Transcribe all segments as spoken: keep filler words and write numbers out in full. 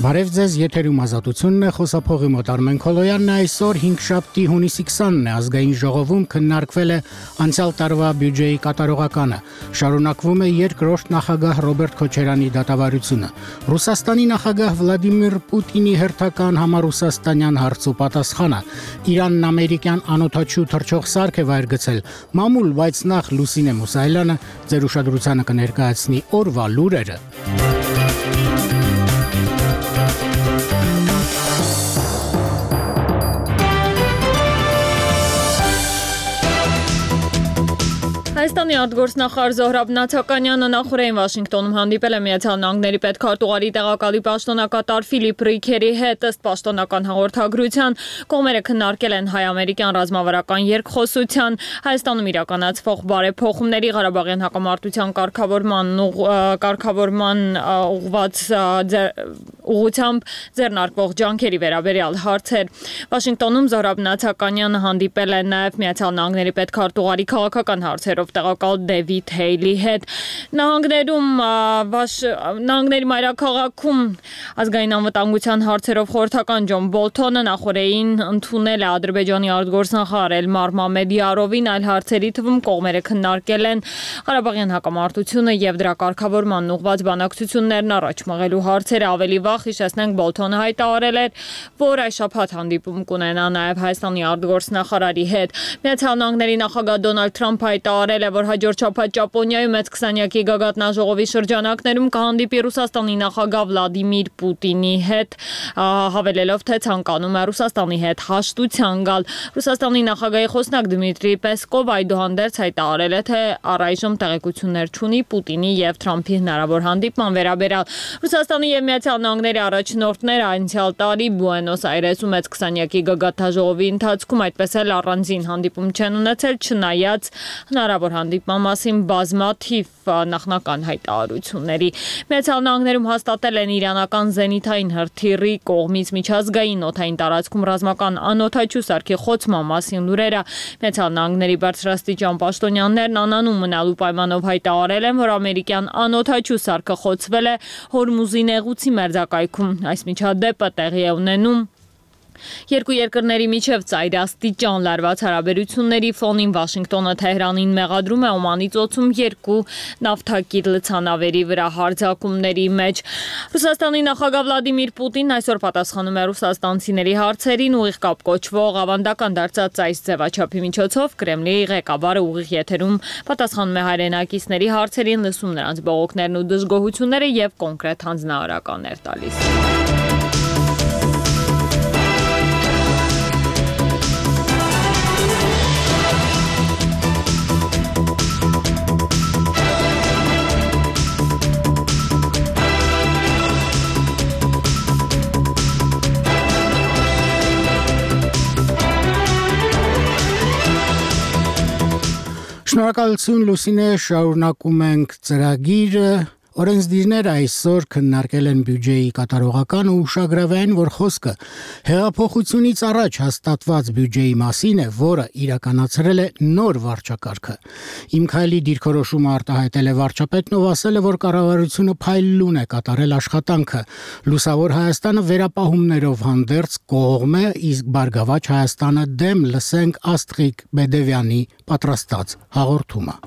Բարև ձեզ, եթերում ազատությունն է, խոսափողի մոտ Արմեն Քոլոյանն է, այսօր հինգշաբթի հունիսի քսանն է, ազգային ժողովում քննարկվել է անցյալ տարվա բյուջեի կատարողականը, շարունակվում է երկրորդ նախագահ Ռոբերտ Քոչարյանի դատավարությունը, Ռուսաստանի նախագահ Վլադիմիր Պուտինի հերթական համառուսաստանյան հարցու պատասխանը, Իրանն ամերիկյան անօթաչու թռչող սարք է վայր գցել, մամուլ, բայց նախ Լուսինե Մուսայելյանը ձեր ուշադրությանը կներկայացնի օրվա լուրերը։ Հայաստանի արտգործնախարար Զոհրաբ Նաթականյանը նախորդին Վաշինգտոնում հանդիպել է Միացյալ Նահանգների պետքարտուղարի տեղակալի պաշտոնակատար Ֆիլիպ Ռիքերի հետ, ըստ պաշտոնական հաղորդագրության, կողմերը քննարկել են հայ-ամերիկյան ռազմավարական երկխոսության, Հայաստանում իրականացվող բարեփոխումների, Ղարաբաղյան հակամարտության կարգավորման կարգավորման ուղղված ուղղությամբ ձեռնարկվող ջանքերի վերաբերյալ հարցեր։ Վաշինգտոնում Զոհրաբ Նաթականյանը հանդիպել է նաև Միացյալ Նահանգների պետքարտուղարի քաղաքական հարցերով տեղակալ Դեվիդ Հեյլի հետ։ Նահանգներում նահանգների մայրաքաղաքում ազգային անվտանգության հարցերով խորհրդական Ջոն Բոլթոնը նախորդին ընդունել է Ադրբեջանի արտգործնախարար Էլմար Մամեդյարովին, այլ հարցերի թվում կողմերը քննարկել են Ղարաբաղյան հակամարտությունը եւ դրա կարգավորման ուղղված բանակցություններն առաջ մղելու հարցերը։ Ավելի վաղ հիշեցնենք Բոլթոնը հայտարարել էր, որ այս շաբաթ հանդիպում կունենա նաեւ Հայաստանի արտգործնախարարի հետ։ Միացյալ Նահանգների նախագահ Դոնալդ Թրամփը հայտարարել է, որ հաջորդ շաբաթ Ճապոնիայում մեծ քսանյակի գագաթնաժողովի շրջանակներում կհանդիպի Ռուսաստանի նախագահ Վլադիմիր Պուտինի հետ, հավելելով, թե ցանկանում է Ռուսաստանի հետ հաշտության գալ։ Ռուսաստանի նախագահի խոսնակ Դմիտրի Պեսկովը այդուհանդերձ հայտարարել է, թե առայժմ տեղեկություններ չունի Պուտինի եւ Թրամփի հնարավոր հանդիպման վերաբերյալ։ Ռուսաստանի եւ Միացյալ Նահանգների առաջնորդները անցյալ տարի Բուենոս Այրեսում մեծ քսանյակի գագաթնաժողովի ընթացքում այդպես էլ առանձին հանդիպում չեն ունեցել, չնայած հնարավոր հանդիպման մասին բազմաթիվ նախնական հայտարարությունների։ Միացյալ Նահանգներում հաստատել են իրանական զենիթային հրթիռի կողմից միջազգային օդային տարածքում ռազմական անօթաչու սարքի խոցման մասին լուրերը։ Միացյալ Նահանգների բարձրաստիճան պաշտոնյաներն անանուն մնալու պայմանով հայտարարել են, որ ամերիկյան անօթաչու սարքը խոցվել է Հորմուզի նեղուցի մերձակայքում։ Այս միջադեպը տեղի է ունենում երկու երկրների միջև ծայրաստիճան լարված հարաբերությունների ֆոնին։ Վաշինգտոնը Թեհրանին մեղադրում է Օմանի ծոցում երկու նավթակիր լցանավերի վրա հարձակումների մեջ։ Ռուսաստանի նախագահ Վլադիմիր Պուտինն այսօր պատասխանում է ռուսաստանցիների հարցերին, ուղիղ կապ կոչվող ավանդական դարձած այս ձևաչափի միջոցով Կրեմլի ղեկավարը ուղիղ եթերում պատասխանում է հայրենակիցների հարցերին, լսում նրանց բողոքներն ու դժգոհությունները եւ կոնկրետ հանձնարարականներ տալիս։ Շնորհակալություն Լուսինե, շարունակում ենք ծրագիրը։ Օրենսդիրները այսօր քննարկել են բյուջեի կատարողական ու ուշագրավային, որ խոսքը հեղափոխությունից առաջ հաստատված բյուջեի մասին է, որը իրականացրել է նոր վարչակարգը։ Իմ քայլի դիրքորոշումը արտահայտել է վարչապետն, ով ասել է, որ կառավարությունը փայլուն է կատարել աշխատանքը։ Լուսավոր Հայաստանը վերապահումներով հանդերձ կողմ է, իսկ Բարգավաճ Հայաստանը դեմ։ Լսենք Աստղիկ Բեդևյանի պատրաստած հաղորդումը։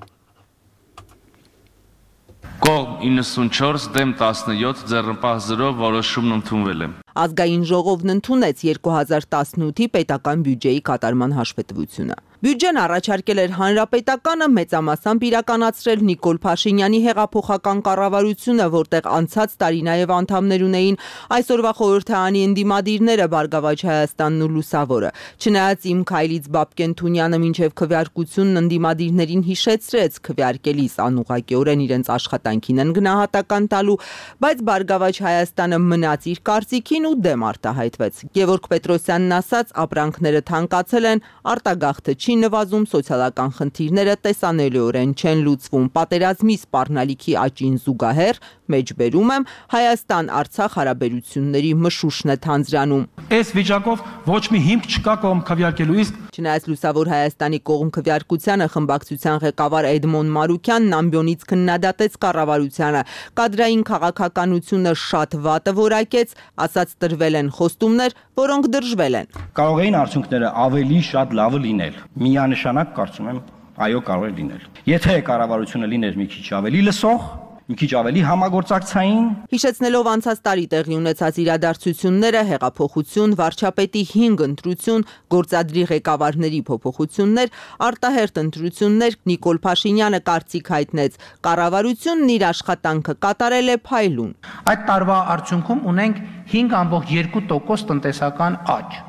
Կողմ իննսունչորս դեմ տասնյոթ ձեռնպահ զրո որոշումն ընդունվել է։ Ազգային ժողովն ընդունեց երկու հազար տասնութի պետական բյուջեի կատարման հաշվետվությունը։ Բյուջեն առաջարկել էր հանրապետականը, մեծամասամբ իրականացրել Նիկոլ Փաշինյանի հեղափոխական կառավարությունը, որտեղ անցած տարի նաև անդամներ ունեին այսօրվա խորհրդարանի ընդդիմադիրները Բարգավաճ Հայաստանն ու Լուսավորը։ Չնայած Իմ քայլից Բաբկեն Թունյանը մինչև քվեարկությունն ընդդիմադիրներին հիշեցրեց քվեարկելիս անուղղակիորեն իրենց աշխատանքին են գնահատական տալու, բայց Բարգավաճ Հայաստանը մնաց իր կարծիքին ու դեմ արտահայտվեց։ Գևորգ Պետրոսյանն ասաց, ապրանքները թանկացել են, արտագաղթը չի նվազում, սոցիալական խնդիրները տեսանելիորեն չեն լուծվում։ Պատերազմի սպառնալիքի աճին զուգահեռ, մեջբերում եմ, Հայաստան-Արցախ հարաբերությունների մշուշն է թանձրանում։ Այս վիճակով ոչ մի հիմք չկա կողմ քվեարկելու, իսկ Չնայած Լուսավոր Հայաստանի կողմ քվեարկությանը խմբակցության ղեկավար Էդմոն Մարուկյանն ամբիոնից քննադատեց կառավարությանը, կադրային քաղաքականությունը շատ վատը որակեց, ասաց տրվել են խոստումներ, որոնք դրժվել են։ Կարող էին արդյունքները ավելի շատ լավը լինել։ Միանշանակ կարծում եմ, այո, կարող է լինել։ Եթե կառավարությունը լիներ մի քիչ ավելի լսող, մի քիչ ավելի համագործակցային։ Հիշեցնելով անցած տարի տեղի ունեցած իրադարձությունները, հեղափոխություն, վարչապետի հինգ ընտրություն, գործադրի ղեկավարների փոփոխություններ, արտահերթ ընտրություններ, Նիկոլ Փաշինյանը կարծիք հայտնեց, կառավարությունն իր աշխատանքը կատարել է փայլուն։ Այդ տարվա արդյունքում ունենք հինգ ամբողջ երկու տոկոս տնտեսական աճ։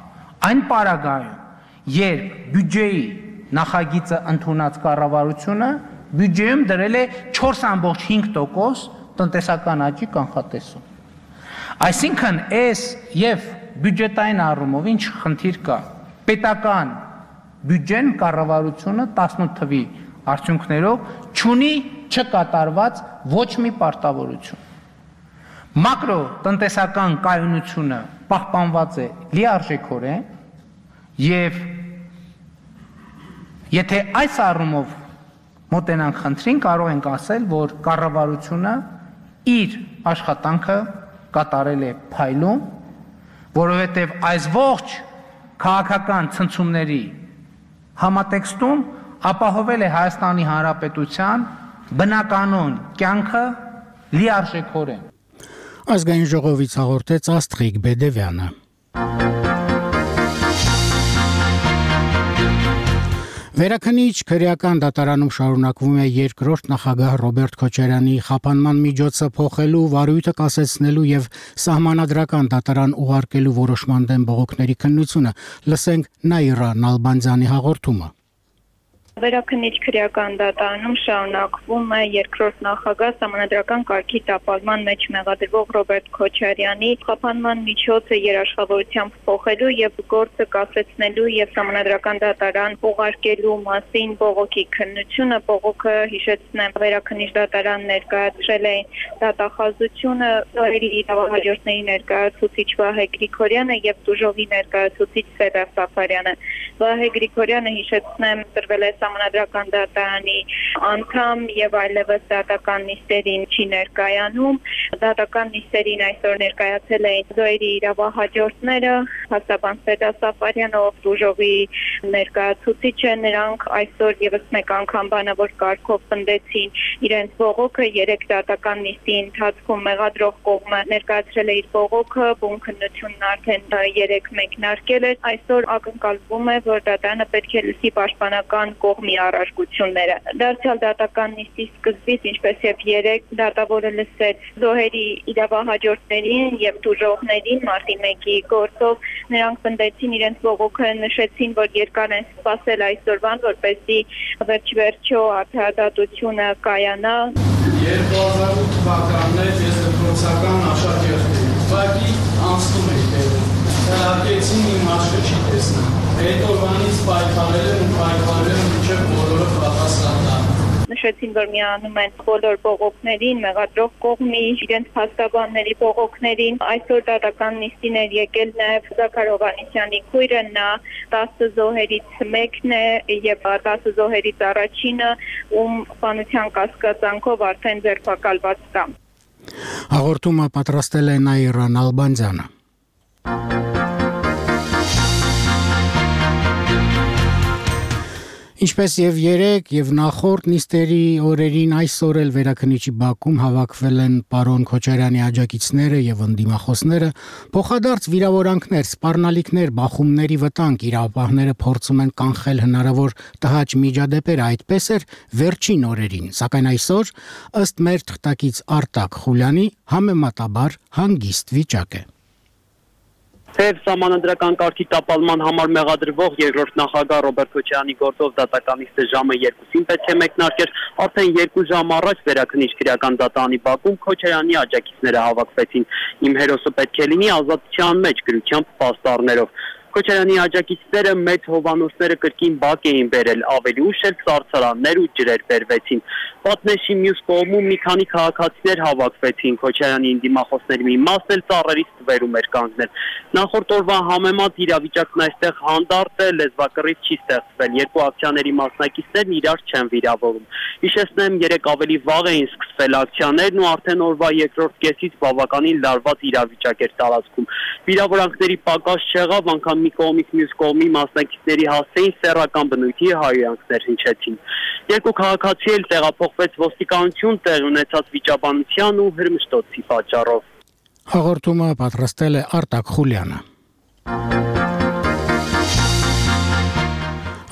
Այն պարագայում, երբ բյուջեի նախագիծը ընդունած կառավարությունը բյուջեում դրել է չորս ամբողջ հինգ տոկոս տնտեսական աճի կանխատեսում։ Այսինքն այս եւ բյուջետային առումով ինչ խնդիր կա։ Պետական բյուջեն կառավարությունը տասնութ թվի արդյունքներով չունի չկատարված ոչ մի պարտավորություն։ Մակրո տնտեսական կայունությունը պահպանված է լիարժեքորեն եւ եթե այս առումով մոտենանք խնդրին, կարող ենք ասել, որ կառավարությունը իր աշխատանքը կատարել է փայլուն, որովհետև այս ողջ քաղաքական ցնցումների համատեքստում ապահովել է Հայաստանի Հանրապետության բնականոն կյանքը լիարժեքորեն։ Ազգային ժողովից հաղորդեց Աստղիկ Բեդևյանը։ Վերաքնիչ քրեական դատարանում շարունակվում է երկրորդ նախագահ Ռոբերտ Քոչարյանի խափանման միջոցը փոխելու, վարույթը կասեցնելու եւ սահմանադրական դատարան ուղարկելու որոշման դեմ բողոքների քննությունը։ Լսենք Նաիրա Նալբանդյանի հաղորդումը։ Վերաքնիչ քրեական դատարանում շարունակվում է երկրորդ նախագահ սահմանադրական կարգի տապալման մեջ մեղադրվող Ռոբերտ Քոչարյանի խափանման միջոցը երաշխավորությամբ փոխելու եւ գործը կասեցնելու եւ սահմանադրական դատարան ուղարկելու մասին բողոքի քննությունը։ Բողոքը, հիշեցնեմ, վերաքնիչ դատարան ներկայացրել էին դատախազությունը, իրավահաջորդների ներկայացուցիչ Վահե Գրիգորյանը եւ Դուժովի ներկայացուցիչ Սերժ Սաֆարյանը։ Վահե Գրիգորյանը, հիշեցնեմ, տրվել է Սահմանադրական դատարանի անդամ եւ այլևս դատական նիստերին չի ներկայանում։ Դատական նիստերին այսօր ներկայացել էին Զոյրի իրավահաջորդները, հաստաբան Սերժ Սաֆարյանը, ով Դուժովի ներկայացուցիչ է, նրանք այսօր եւս մեկ անգամ բանավոր կարգով պնդեցին իրենց բողոքը։ Երեք դատական նիստի ընթացքում մեղադրող կողմը ներկայացրել է իր բողոքը, բուն քննությունն արդեն երեք մեկնարկել է։ Այսօր ակնկալվում է, որ դատարանը պետք է լսի պաշտպանական կողմի առարկությունները։ Դարձյալ դատական նիստի սկզբից, ինչպես եւ երեք, դատավորը լսեց Զոհերի իրավահաջորդներին եւ դուժողներին մարտի մեկի գործով։ Նրանք պնդեցին իրենց բողոքը, նշեցին, որ երկար են սպասել այսօրվան, որպեսզի վերջ-վերջո արդարադատությունը կայանա։ երկու հազար ութ թվականն էր, ես դպրոցական աշակերտ եմ, ուղղակի անցնում էր տեղում։ Հրարկեցին իմ աչքը չի տեսնում։ Հետո բանից պայքարել են ու պայքարել են մինչև բոլորը պատասխան տան։ Նշեցին, որ միանում են բոլոր բողոքներին, մեղադրող կողմի, իրենց փաստաբանների բողոքներին։ Այսօր դատական նիստին էր եկել նաև Զաքար Հովհաննիսյանի քույրը, նա տասը զոհերից մեկն է եւ տասը զոհերից առաջինը, ում սպանության կասկածանքով արդեն ձերբակալված կա։ Հաղորդումը պատրաստել է Նաիրա Նալբանդյանը։ Ինչպես եւ երեք եւ նախորդ նիստերի օրերին, այսօր էլ Վերաքնիչի բակում հավաքվել են պարոն Քոչարյանի աջակիցները եւ ընդդիմախոսները, փոխադարձ վիրավորանքներ, սպառնալիքներ, բախումների վտանգ իրավապահները փորձում են կանխել հնարավոր տհաճ միջադեպերը, այդպես էր վերջին օրերին, սակայն այսօր, ըստ մեր թղթակից Արտակ Խուլյանի, համեմատաբար հանգիստ վիճակ է։ Թեև սահմանադրական կարգի տապալման համար մեղադրվող երկրորդ նախագահ Ռոբերտ Քոչարյանի գործով դատականիստը ժամը երկուսին պետք է մեկնարկեր, արդեն երկու ժամ առաջ Վերաքննիչ քրեական դատարանի բակում Քոչարյանի աջակիցները հավաքվեցին։ Իմ հերոսը պետք է լինի ազատության մեջ գրությամբ պաստառներով։ Քոչարյանի աջակիցները մեծ հովանոցները կրկին բակ էին բերել, ավելի ուշ էլ սառցարաններ ու ջրեր բերվեցին։ Պատնեշի մյուս կողմում մի քանի քաղաքացիներ հավաքվեցին, Քոչարյանի դիմախոսների մի մասն էլ ծառերից ստվերում էր կանգնել։ Նախորդ օրվա համեմատ իրավիճակն այստեղ հանդարտ է, լեզվակռիվ չի ստեղծվել, երկու ակցիաների մասնակիցներն իրար չեն վիրավորում։ Հիշեցնեմ, երեք ավելի վաղ էին սկսվել ակցիաներն ու արդեն օրվա երկրորդ կեսից բավականին լարված իրավիճակ էր տարածքում։ Վիրավորանքների պակաս չեղավ, անգամ մի կողմից մյուս կողմի մասնակիցների հասցեին սեռական բնույթի հայհոյանքներ հնչեցին։ Երկու քաղաքացի էլ տեղափոխվեց ոստիկանություն տեղ ունեցած վիճաբանության ու հրմշտոցի պատճառով։ Հաղորդումը պատրաստել է Արտակ Խուլյանը։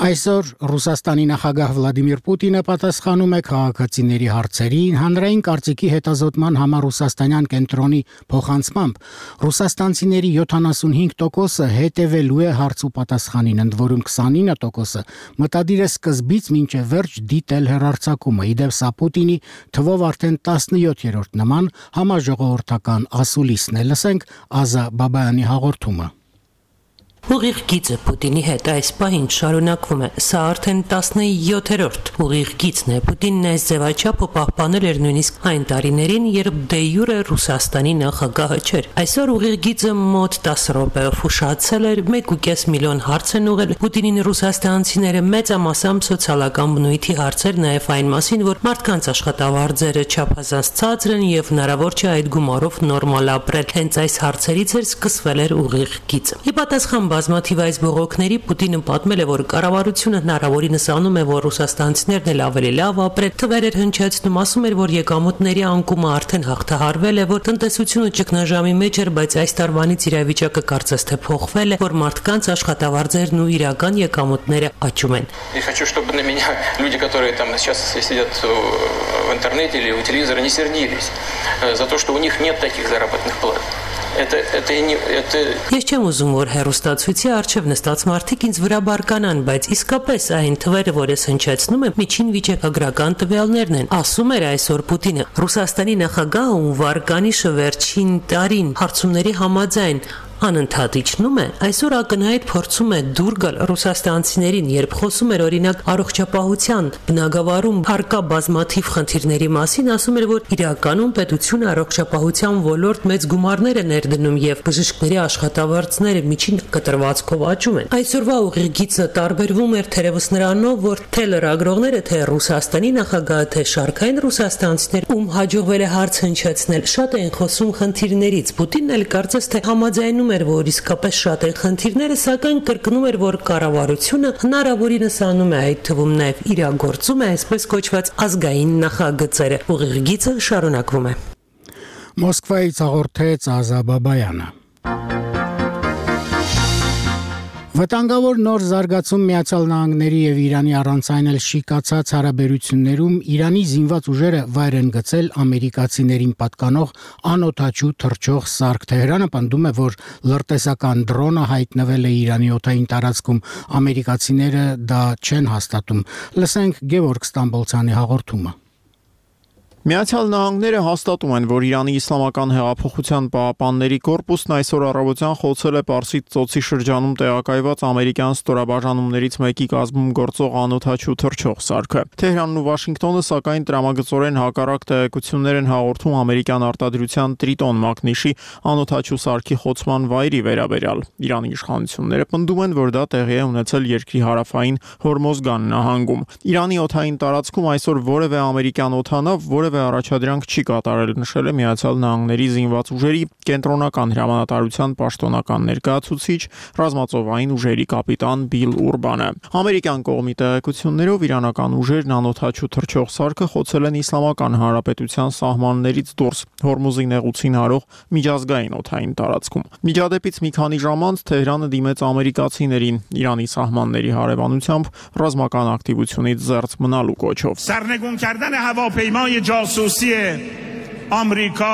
Այսօր Ռուսաստանի նախագահ Վլադիմիր Պուտինը պատասխանում է քաղաքացիների հարցերին հանրային կարծիքի հետազոտման համառուսաստանյան կենտրոնի փոխանցմամբ ռուսաստանցիների յոթանասունհինգ տոկոսը հետևելու է հարց ու պատասխանին, ընդ որում քսանինը տոկոսը մտադիր է սկզբից մինչև վերջ դիտել հեռարձակումը։ Իդեպ սա Պուտինի թվով արդեն տասնյոթերորդ նման համաժողովրդական ասուլիսն է։ Լսենք Ազա Բաբայանի հաղորդումը։ Ուղիղ գիծը Պուտինի հետ այս պահին շարունակվում է։ Սա արդեն տասնյոթերորդ ուղիղ գիծն է։ Պուտինն այս ձևաչափը պահպանել էր նույնիսկ այն տարիներին, երբ դե յուրե Ռուսաստանի նախագահը չէր։ Այսօր ուղիղ գիծը մոտ տասը րոպեով ուշացել էր, մեկ ու կես միլիոն հարց են ուղղել Պուտինին ռուսաստանցիները, մեծամասամբ սոցիալական բնույթի հարցեր, նաև այն մասին, որ մարդկանց աշխատավարձերը չափազանց ցածր են եւ հնարավոր չէ այդ գումարով նորմալ ապրել։ Հենց այս հարցերից էր սկսվել էր ուղիղ գիծը։ Ի պատասխան բազմաթիվ այս բողոքների Պուտինը պատմել է, որ կառավարությունը հնարավորինս անում է, որ ռուսաստանցիներն էլ ավելի լավ ապրեն, թվեր էր հնչեցնում, ասում էր, որ եկամուտների անկումը արդեն հաղթահարվել է, որ տնտեսությունը ճգնաժամի մեջ էր, բայց այս տարվանից իրավիճակը կարծես թե փոխվել է, որ մարդկանց աշխատավարձերն ու իրական եկամուտները աճում են։ Я хочу, чтобы на меня люди, которые там сейчас сидят в интернете или у телевизора, не сердились за то, что у них нет таких заработных плат. Это это не это Ես չեմ ուզում, որ հերոստացույցի արժև նստած մարդիկ ինձ վրա բարկանան, բայց իսկապես այն թվերը, որ ես հնչեցնում եմ, միջին վիճակագրական տվյալներն են։ Ասում էր այսօր Պուտինը։ Ռուսաստանի նախագահը ում վարկանիշը վերջին տարին հարցումների համաձայն անընդհատ իջնում է, այսօր ակնհայտ փորձում է դուր գալ ռուսաստանցիներին, երբ խոսում էր օրինակ առողջապահության բնագավառում հարկա բազմաթիվ խնդիրների մասին, ասում էր, որ իրականում պետությունը առողջապահության ոլորտ մեծ գումարներ է ներդնում եւ բժիշկների աշխատավարձները միջին կտրվածքով աճում են։ Այսօրվա ուղիղ գիծը տարբերվում էր թերևս նրանով, որ թե լրագրողները, թե Ռուսաստանի նախագահը, թե շարքային ռուսաստանցիներ, ում հաջողվել է հարց հնչեցնել, շատ են խոսում խնդիրներից։ Պուտինն էլ կարծես թե համաձայնում էր, որ իսկապես շատ են խնդիրները, սակայն կրկնում էր, որ կառավարությունը հնարավորինս անում է, այդ թվում նաև իրագործում է այսպես կոչված ազգային նախագծերը։ Ուղիղ գիծը շարունակվում է։ Մոսկվայից հաղորդեց Ազա Բաբայանը։ Վտանգավոր նոր զարգացում Միացյալ Նահանգների եւ Իրանի առանց այն էլ շիկացած հարաբերություններում Իրանի զինված ուժերը վայր են գցել ամերիկացիներին պատկանող անօթաչու թռչող սարք։ Թեհրանը պնդում է, որ լրտեսական դրոնը հայտնվել է Իրանի օդային տարածքում, ամերիկացիները դա չեն հաստատում։ Լսենք Գևորգ Ստամբոլցյանի հաղորդումը։ Միացյալ Նահանգները հաստատում են, որ Իրանի Իսլամական հեղափոխության պահապանների կորպուսն այսօր առավոտյան խոցել է Պարսից ծոցի շրջանում տեղակայված ամերիկյան ստորաբաժանումներից մեկի կազմում գործող անօթաչու թռչող սարքը։ Թեհրանն ու Վաշինգտոնը սակայն տրամագծորեն հակառակ տեղեկություններ են հաղորդում ամերիկյան արտադրության Տրիտոն մակնիշի անօթաչու սարքի խոցման վայրի վերաբերյալ։ Իրանի իշխանությունները պնդում են, որ դա տեղի է ունեցել երկրի հարավային Հորմոզգան նահանգում։ Իրանի օդային տարածքում այսօր որևէ ամերիկյան օդանավ, որևէ առաջադրանք չի կատարել, նշել է Միացյալ Նահանգների զինված ուժերի կենտրոնական հրամանատարության պաշտոնական ներկայացուցիչ ռազմածովային ուժերի կապիտան Բիլ Ուրբանը։ Ամերիկյան կողմի տեղեկություններով իրանական ուժերն անօթաչու թռչող սարքը խոցել են Իսլամական Հանրապետության սահմաններից դուրս Հորմուզի նեղուցին հարող միջազգային օդային տարածքում։ Միջադեպից մի քանի ժամ անց Թեհրանը դիմեց ամերիկացիներին Իրանի սահմանների հարևանությամբ ռազմական ակտիվությունից զերծ մնալու կոչով։ سرنگون کردن هواپیمای جاسوسی Ամերիկա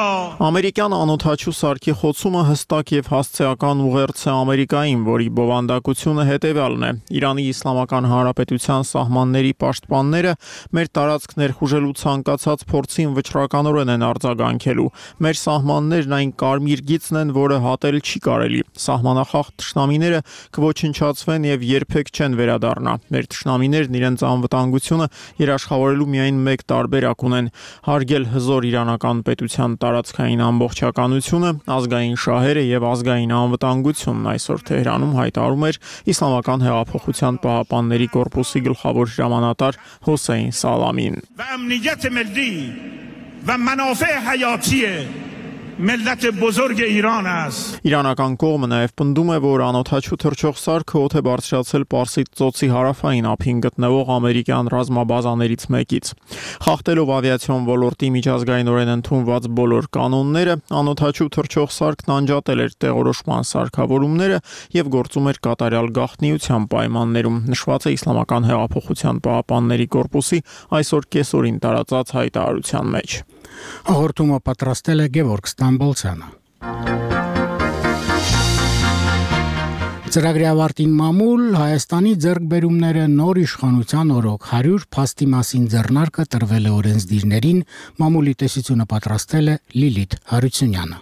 Ամերիկյան անօթաչու սարքի խոցումը հստակ եւ հասցեական ուղերձ է Ամերիկային, որի բովանդակությունը հետեւյալն է. Իրանի Իսլամական Հանրապետության սահմանների պաշտպանները մեր տարածք ներխուժելու ցանկացած փորձին վճռականորեն են արձագանքելու։ Մեր սահմաններն այն կարմիր գիծն են, որը հատել չի կարելի։ Սահմանախախտ թշնամիները կոչնչացվեն եւ երբեք չեն վերադառնա։ Մեր թշնամիներն իրենց անվտանգությունը երաշխավորելու միայն մեկ տարբերակ ունեն՝ հարգել հզոր իրանական պետության տարածքային ամբողջականությունը, ազգային շահերը եւ ազգային անվտանգությունն, այսօր Թեհրանում հայտարարում էր Իսլամական հեղափոխության պահապանների կորպուսի գլխավոր հրամանատար Հոսեյն Սալամին։ ملت بزرگ ایران است Իրանական կողմը նաև պնդում է, որ անօթաչու թռչող սարքը օդ է բարձրացել Պարսից ծոցի հարավային ափին գտնվող ամերիկյան ռազմաբազաներից մեկից։ Խախտելով ավիացիոն ոլորտի միջազգայինորեն ընդունված բոլոր կանոնները, անօթաչու թռչող սարքն անջատել էր տեղորոշման սարքավորումները եւ գործում էր կատարյալ գաղտնիության պայմաններում, նշված է Իսլամական հեղափոխության պահապանների կորպուսի այսօր կեսօրին տարածած հայտարարության մեջ։ Հաղորդումը պատրաստել է Գևորգ Ստամբոլցյանը։ Ծրագրի ավարտին մամուլ Հայաստանի ձեռքբերումները նոր իշխանության օրոք հարյուր փաստի մասին ձեռնարկը տրվել է օրենսդիրներին, մամուլի տեսությունը պատրաստել է Լիլիթ Հարությունյանը։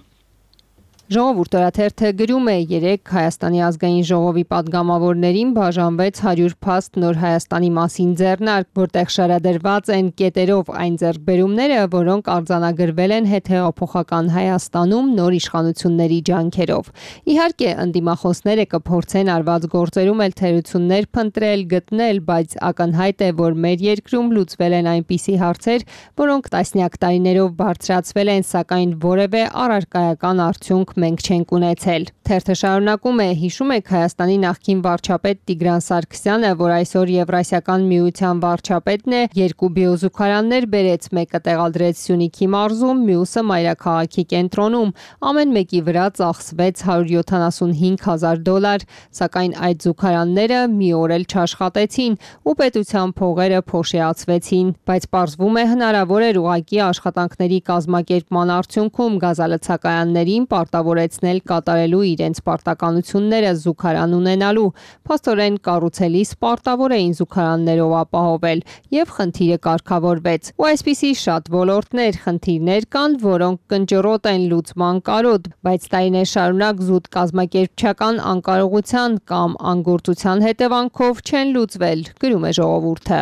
Ժողովուրդ օրաթերթը գրում է երեկ Հայաստանի ազգային ժողովի պատգամավորներին բաժանվեց հարյուր փաստ նոր Հայաստանի մասին ձեռնարկ, որտեղ շարադրված են կետերով այն ձեռքբերումները, որոնք արձանագրվել են հետհեղափոխական Հայաստանում նոր իշխանությունների ջանքերով։ Իհարկե, ընդդիմախոսները կփորձեն արված գործերում էլ թերություններ փնտրել, գտնել, բայց ակնհայտ է, որ մեր երկրում լուծվել են այնպիսի հարցեր, որոնք տասնյակ տարիներով բարձրացվել են, սակայն որևէ առարկայական արդյունք մենք չենք ունեցել։ Թերթը շարունակում է, հիշում եք Հայաստանի նախկին վարչապետ Տիգրան Սարգսյանը, որ այսօր Եվրասիական միության վարչապետն է, երկու բիոզուքարաններ բերեց, մեկը տեղադրեց Սյունիքի մարզում, մյուսը Մայրաքաղաքի կենտրոնում, ամեն մեկի վրա ծախսվեց հարյուր յոթանասունհինգ հազար դոլար, սակայն այդ զուգարանները մի օր էլ չաշխատեցին ու պետության փողերը փոշիացվեցին, բայց պարզվում է հնարավոր էր ուղղակի աշխատանքների կազմակերպման արդյունքում գազալցակայաններին պարտավորեցնել կատարելու իրենց պարտականությունները զուգարան ունենալու, փաստորեն կառուցելիս պարտավոր էին զուգարաններով ապահովել եւ խնդիրը կարգավորվեց։ Ու այսպիսի շատ ոլորտներ, խնդիրներ կան, որոնք կնճռոտ են լուծման կարոտ, բայց տարիներ շարունակ զուտ կազմակերպչական անկարողության կամ անգործության հետևանքով չեն լուծվել, գրում է ժողովուրդը։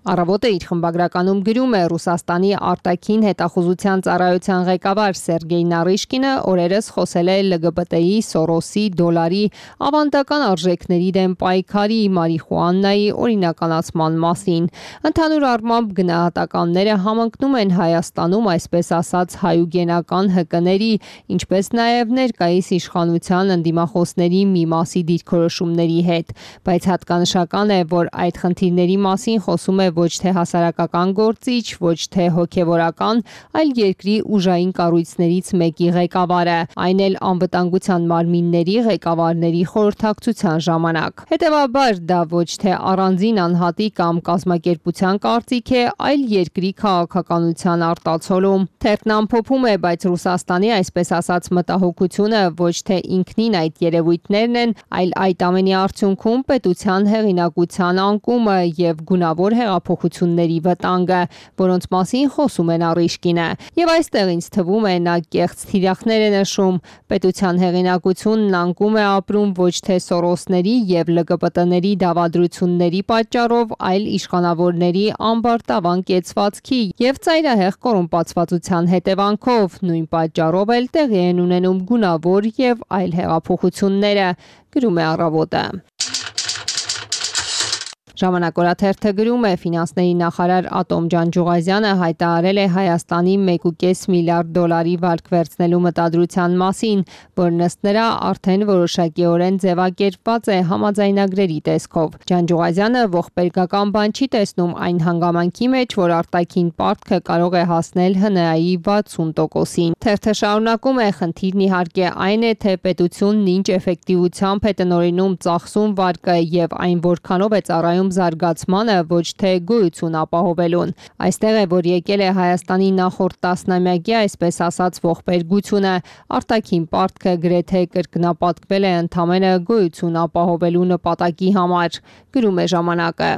Առավոտը իր խմբագրականում գրում է Ռուսաստանի արտաքին հետախուզության ծառայության ղեկավար Սերգեյ Նարիշկինը օրերս խոսել է ԼԳԲՏ-ի, Սորոսի, դոլարի, ավանդական արժեքների դեմ պայքարի, մարիխուանայի օրինականացման մասին։ Ընդհանուր առմամբ գնահատականները համընկնում են Հայաստանում այսպես ասած հայուգենական հկների, ինչպես նաև ներկայիս իշխանության ընդդիմախոսների մի մասի դիրքորոշումների հետ, բայց հատկանշական է, որ այդ խնդիրների մասին խոսում է ոչ թե հասարակական գործիչ, ոչ թե հոգևորական, այլ երկրի ուժային կառույցներից մեկի ղեկավարը, այն էլ անվտանգության մարմինների ղեկավարների խորհրդակցության ժամանակ։ Հետևաբար դա ոչ թե առանձին անհատի կամ կազմակերպության կարծիք է, այլ երկրի քաղաքականության արտացոլում։ Թերթն ամփոփում է, բայց Ռուսաստանի այսպես ասած մտահոգությունը ոչ թե ինքնին այդ երևույթներն են, այլ այդ ամենի արդյունքում պետության հեղինակության անկումը եւ գունավոր հեղափոխությունների վտանգը, որոնց մասին խոսում է Նարիշկինը։ Եվ այստեղ ինձ թվում է նա կեղծ թիրախներ է նշում, պետության հեղինակությունն անկում է ապրում ոչ թե Սորոսների եւ ԼԳԲՏ-ների դավադրությունների պատճառով, այլ իշխանավորների ամբարտավան կեցվածքի եւ ծայրահեղ կոռումպացվածության հետևանքով, նույն պատճառով էլ տեղի են ունենում գունավոր եւ այլ հեղափոխությունները, գրում է Առավոտը։ Ժամանակ օրաթերթը գրում է, ֆինանսների նախարար Ատոմ Ջանջուղազյանը հայտարարել է Հայաստանի մեկ կόμμα պենս միլիարդ դոլարի վարկ վերցնելու մտադրության մասին, որն ըստ նրա արդեն որոշակիորեն ձևակերպված է համաձայնագրերի տեսքով։ Ջանջուղազյանը ողբերգական բան չի տեսնում այն հանգամանքի մեջ, որ արտաքին պարտքը կարող է հասնել ՀՆԱ-ի վաթսուն տոկոսին։ Թերթը շարունակում է, խնդիրն իհարկե այն է, թե պետությունն ինչ էֆեկտիվությամբ է տնօրինում ծախսում վարկը եւ այն որքանով է ծառայում նպատակում զարգացմանը, ոչ թե գոյություն ապահովելուն։ Այստեղ է, որ եկել է Հայաստանի նախորդ տասնամյակի, այսպես ասած, ողբերգությունը, արտաքին պարտքը գրեթե կրկնապատկվել է ընդամենը գոյություն ապահովելու նպատակի համար, գրում է ժամանակը։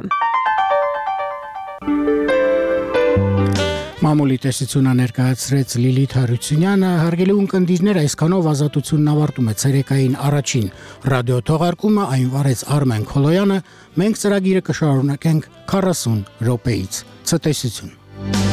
Մամուլի տեսությունը ներկայացրեց Լիլիթ Հարությունյանը, հարգելի ունկնդիրներ, այսքանով ազատությունն ավարտում է ցերեկային առաջին ռադիո թողարկումը, այն վարեց Արմեն Քոլոյանը, մենք ծրագիրը կշարունակենք քառասուն րոպեից։ Ցտեսություն։